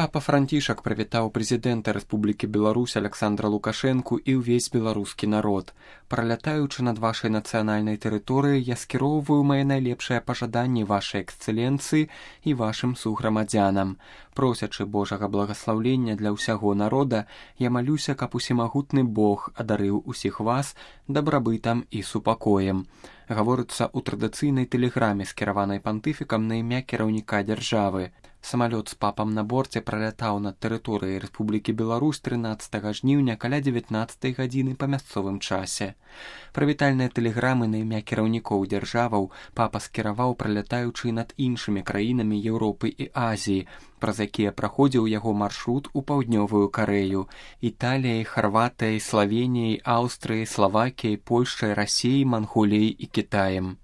Папа Францішак прывітаў прэзідэнта Рэспублікі Беларусь Аляксандра Лукашэнку і ўвесь беларускі народ. Пралятаючы над вашай нацыянальнай тэрыторыяй, я скіроўваю мае найлепшыя пажаданні вашай эксцэленцыі і вашым суграмадзянам. Просячы Божага благаслаўлення для ўсяго народа, я малюся, каб усемагутны Бог адарыў усіх вас дабрабытам і супакоем. Гаворыцца ў традыцыйнай тэлеграме, скіраванай пантыфікам на імя кіраўніка дзяржавы. Самалёт з папам на борце пралятаў над тэрыторыяй Рэспублікі Беларусь 13 жніўня каля 19 гадзіны па мясцовым часе. Прывітальныя тэлеграмы на імя кіраўнікоў дзяржаваў папа скіраваў, пралятаючы над іншымі краінамі Еўропы і Азіі, праз якія праходзіў яго маршрут у паўднёвую Карэю, Італіяй, Харватыяй, Славеніяй, Аўстрыяй, Славакіяй, Польшчай, Расіяй, Манголіяй і Кітаем.